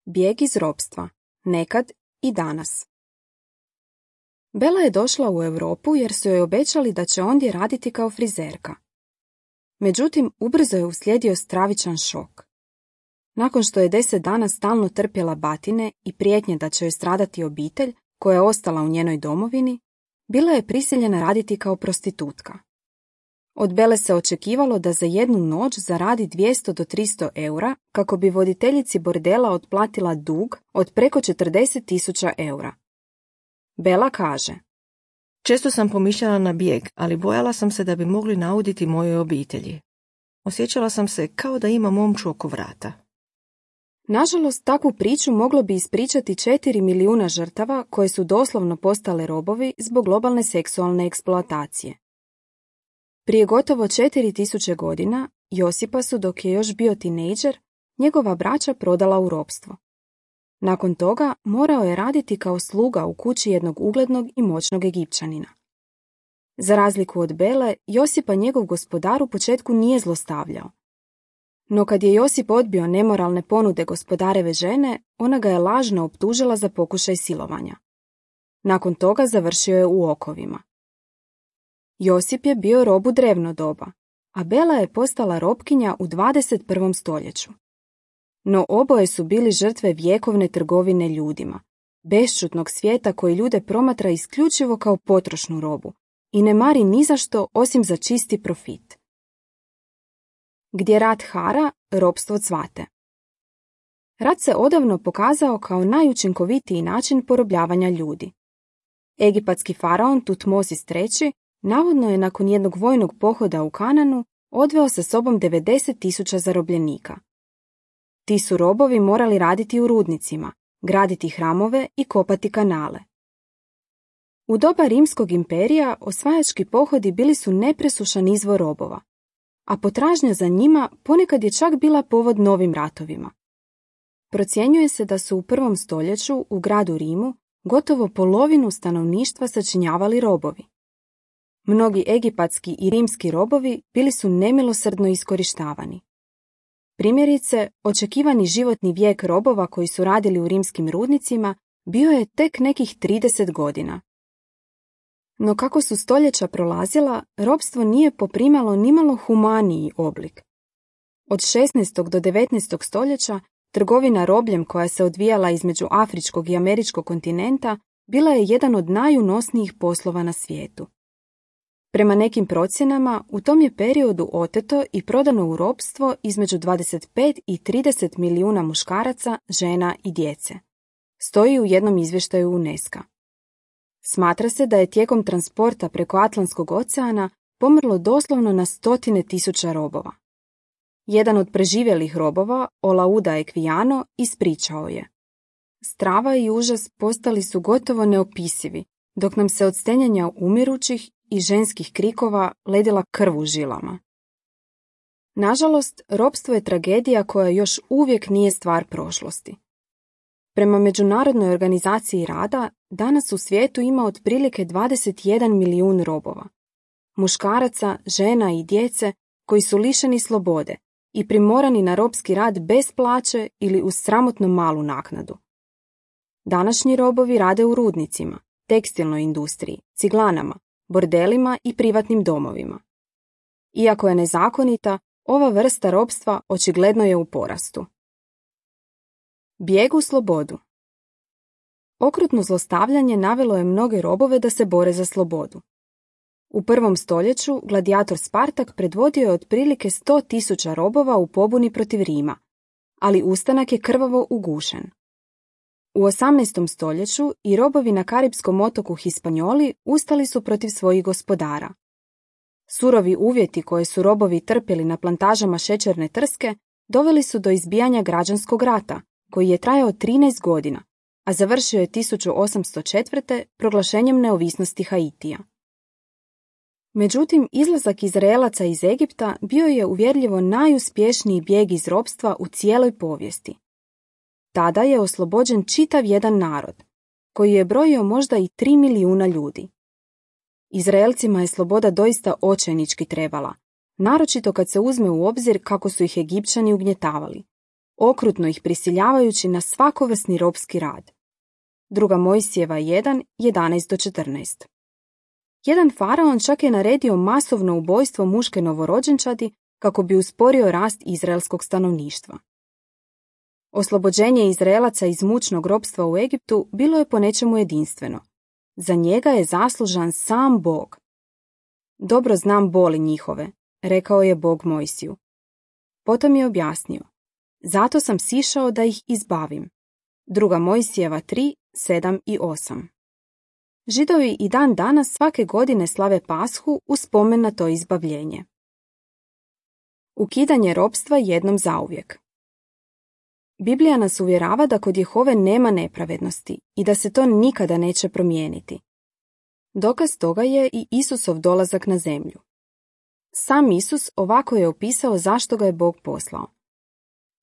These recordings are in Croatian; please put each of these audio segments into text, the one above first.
Bijeg iz ropstva, nekad i danas. Bela je došla u Europu jer su joj obećali da će ondje raditi kao frizerka. Međutim, ubrzo je uslijedio stravičan šok. Nakon što je 10 dana stalno trpjela batine i prijetnje da će joj stradati obitelj koja je ostala u njenoj domovini, bila je prisiljena raditi kao prostitutka. Od Bele se očekivalo da za jednu noć zaradi 200 do 300 eura kako bi voditeljici bordela otplatila dug od preko 40.000 eura. Bela kaže: Često sam pomišljala na bijeg, ali bojala sam se da bi mogli nauditi mojoj obitelji. Osjećala sam se kao da imam omču oko vrata. Nažalost, takvu priču moglo bi ispričati 4 milijuna žrtava koje su doslovno postale robovi zbog globalne seksualne eksploatacije. Prije gotovo 4000 godina Josipa su, dok je još bio tinejdžer, njegova braća prodala u ropstvo. Nakon toga morao je raditi kao sluga u kući jednog uglednog i moćnog Egipćanina. Za razliku od Bele, Josipa njegov gospodar u početku nije zlostavljao. No kad je Josip odbio nemoralne ponude gospodareve žene, ona ga je lažno optužila za pokušaj silovanja. Nakon toga završio je u okovima. Josip je bio rob u drevno doba, a Bela je postala robkinja u 21. stoljeću. No oboje su bili žrtve vjekovne trgovine ljudima, bešćutnog svijeta koji ljude promatra isključivo kao potrošnu robu i ne mari ni za što osim za čisti profit. Gdje rat hara, ropstvo cvate. Rat se odavno pokazao kao najučinkovitiji način porobljavanja ljudi. Egipatski faraon Tutmosis III navodno je nakon jednog vojnog pohoda u Kananu odveo sa sobom 90.000 zarobljenika. Ti su robovi morali raditi u rudnicima, graditi hramove i kopati kanale. U doba Rimskog imperija osvajački pohodi bili su nepresušan izvor robova, a potražnja za njima ponekad je čak bila povod novim ratovima. Procjenjuje se da su u 1. stoljeću u gradu Rimu gotovo polovinu stanovništva sačinjavali robovi. Mnogi egipatski i rimski robovi bili su nemilosrdno iskorištavani. Primjerice, očekivani životni vijek robova koji su radili u rimskim rudnicima bio je tek nekih 30 godina. No kako su stoljeća prolazila, ropstvo nije poprimalo nimalo humaniji oblik. Od 16. do 19. stoljeća trgovina robljem koja se odvijala između afričkog i američkog kontinenta bila je jedan od najunosnijih poslova na svijetu. Prema nekim procjenama, u tom je periodu oteto i prodano u ropstvo između 25 i 30 milijuna muškaraca, žena i djece. Stoji u jednom izvještaju UNESCO. Smatra se da je tijekom transporta preko Atlantskog oceana pomrlo doslovno na 100.000 robova. Jedan od preživjelih robova, Olauda Equiano, ispričao je: Strava i užas postali su gotovo neopisivi, dok nam se od stenjanja umirućih i ženskih krikova ledila krv u žilama. Nažalost, ropstvo je tragedija koja još uvijek nije stvar prošlosti. Prema Međunarodnoj organizaciji rada, danas u svijetu ima otprilike 21 milijun robova. Muškaraca, žena i djece koji su lišeni slobode i primorani na ropski rad bez plaće ili uz sramotno malu naknadu. Današnji robovi rade u rudnicima, tekstilnoj industriji, ciglanama, bordelima i privatnim domovima. Iako je nezakonita, ova vrsta ropstva očigledno je u porastu. Bijeg u slobodu. Okrutno zlostavljanje navelo je mnoge robove da se bore za slobodu. U 1. stoljeću gladijator Spartak predvodio je otprilike 100.000 robova u pobuni protiv Rima, ali ustanak je krvavo ugušen. U 18. stoljeću i robovi na karipskom otoku Hispanjoli ustali su protiv svojih gospodara. Surovi uvjeti koje su robovi trpjeli na plantažama šećerne trske doveli su do izbijanja građanskog rata, koji je trajao 13 godina, a završio je 1804. proglašenjem neovisnosti Haitija. Međutim, izlazak Izraelaca iz Egipta bio je uvjerljivo najuspješniji bijeg iz ropstva u cijeloj povijesti. Tada je oslobođen čitav jedan narod, koji je brojio možda i 3 milijuna ljudi. Izraelcima je sloboda doista očajnički trebala, naročito kad se uzme u obzir kako su ih Egipćani ugnjetavali. okrutno ih prisiljavajući na svakovrsni ropski rad. 2. Mojsijeva 1, 11-14. Jedan faraon čak je naredio masovno ubojstvo muške novorođenčadi kako bi usporio rast izraelskog stanovništva. Oslobođenje Izraelaca iz mučnog ropstva u Egiptu bilo je po nečemu jedinstveno. Za njega je zaslužan sam Bog. Dobro znam boli njihove, rekao je Bog Mojsiju. Potom je objasnio, zato sam sišao da ih izbavim. 2. Mojsijeva 3, 7 i 8. Židovi i dan danas svake godine slave Pashu u spomen na to izbavljenje. Ukidanje ropstva jednom zauvijek. Biblija nas uvjerava da kod Jehove nema nepravednosti i da se to nikada neće promijeniti. Dokaz toga je i Isusov dolazak na zemlju. Sam Isus ovako je opisao zašto ga je Bog poslao.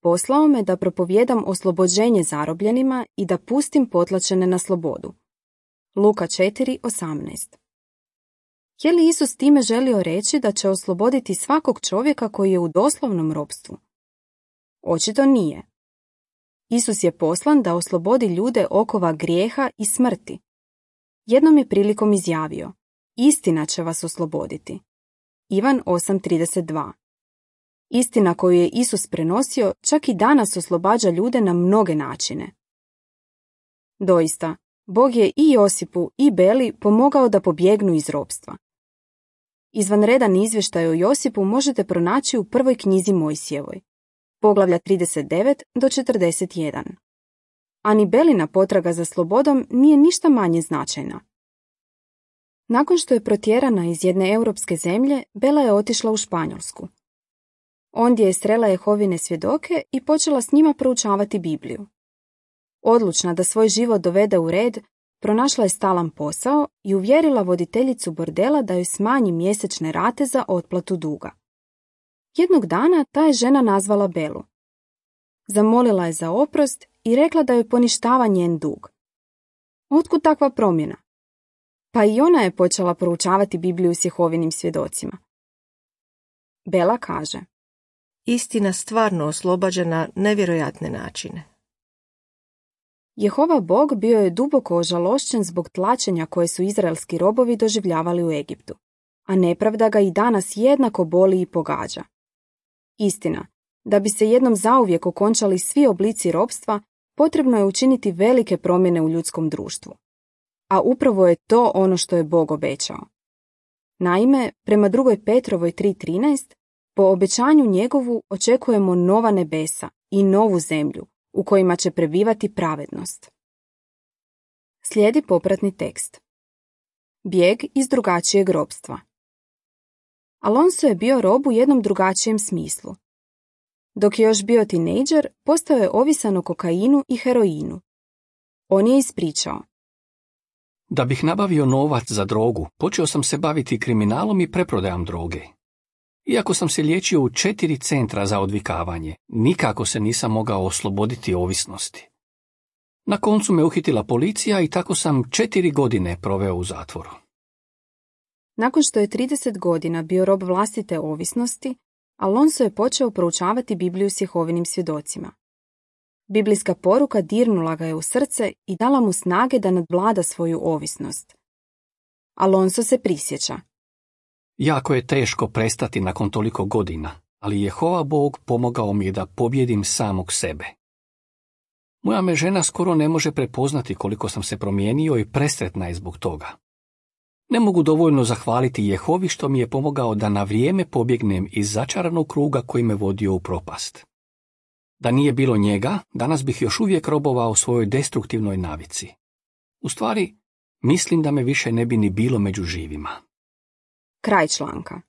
Poslao me da propovijedam oslobođenje zarobljenima i da pustim potlačene na slobodu. Luka 4:18. Je li Isus time želio reći da će osloboditi svakog čovjeka koji je u doslovnom ropstvu? Očito nije. Isus je poslan da oslobodi ljude okova grijeha i smrti. Jednom je prilikom izjavio, istina će vas osloboditi. Ivan 8:32. Istina koju je Isus prenosio čak i danas oslobađa ljude na mnoge načine. Doista, Bog je i Josipu i Beli pomogao da pobjegnu iz ropstva. Izvanredan izvještaj o Josipu možete pronaći u prvoj knjizi Mojsijevoj, poglavlja 39-41. A ni Belina potraga za slobodom nije ništa manje značajna. Nakon što je protjerana iz jedne europske zemlje, Bela je otišla u Španjolsku. Ondje je srela Jehovine svjedoke i počela s njima proučavati Bibliju. Odlučna da svoj život dovede u red, pronašla je stalan posao i uvjerila voditeljicu bordela da joj smanji mjesečne rate za otplatu duga. Jednog dana ta je žena nazvala Belu. Zamolila je za oprost i rekla da joj poništava njen dug. Otkud takva promjena? Pa i ona je počela proučavati Bibliju s Jehovinim svjedocima. Bela kaže, istina stvarno oslobađa na nevjerojatne načine. Jehova Bog bio je duboko ožalošćen zbog tlačenja koje su izraelski robovi doživljavali u Egiptu, a nepravda ga i danas jednako boli i pogađa. Istina, da bi se jednom zauvijek okončali svi oblici ropstva, potrebno je učiniti velike promjene u ljudskom društvu. A upravo je to ono što je Bog obećao. Naime, prema 2. Petrovoj 3:13, po obećanju njegovu očekujemo nova nebesa i novu zemlju, u kojima će prebivati pravednost. Slijedi popratni tekst. Bijeg iz drugačijeg ropstva. Alonso je bio rob u jednom drugačijem smislu. Dok je još bio tinejdžer, postao je ovisan o kokainu i heroinu. On je ispričao. Da bih nabavio novac za drogu, počeo sam se baviti kriminalom i preprodajom droge. Iako sam se liječio u 4 centra za odvikavanje, nikako se nisam mogao osloboditi ovisnosti. Na koncu me uhitila policija i tako sam 4 godine proveo u zatvoru. Nakon što je 30 godina bio rob vlastite ovisnosti, Alonso je počeo proučavati Bibliju s Jehovinim svjedocima. Biblijska poruka dirnula ga je u srce i dala mu snage da nadvlada svoju ovisnost. Alonso se prisjeća. Jako je teško prestati nakon toliko godina, ali Jehova Bog pomogao mi je da pobjedim samog sebe. Moja me žena skoro ne može prepoznati koliko sam se promijenio i presretna je zbog toga. Ne mogu dovoljno zahvaliti Jehovi što mi je pomogao da na vrijeme pobjegnem iz začaranog kruga koji me vodio u propast. Da nije bilo njega, danas bih još uvijek robovao svojoj destruktivnoj navici. U stvari, mislim da me više ne bi ni bilo među živima. Kraj članka.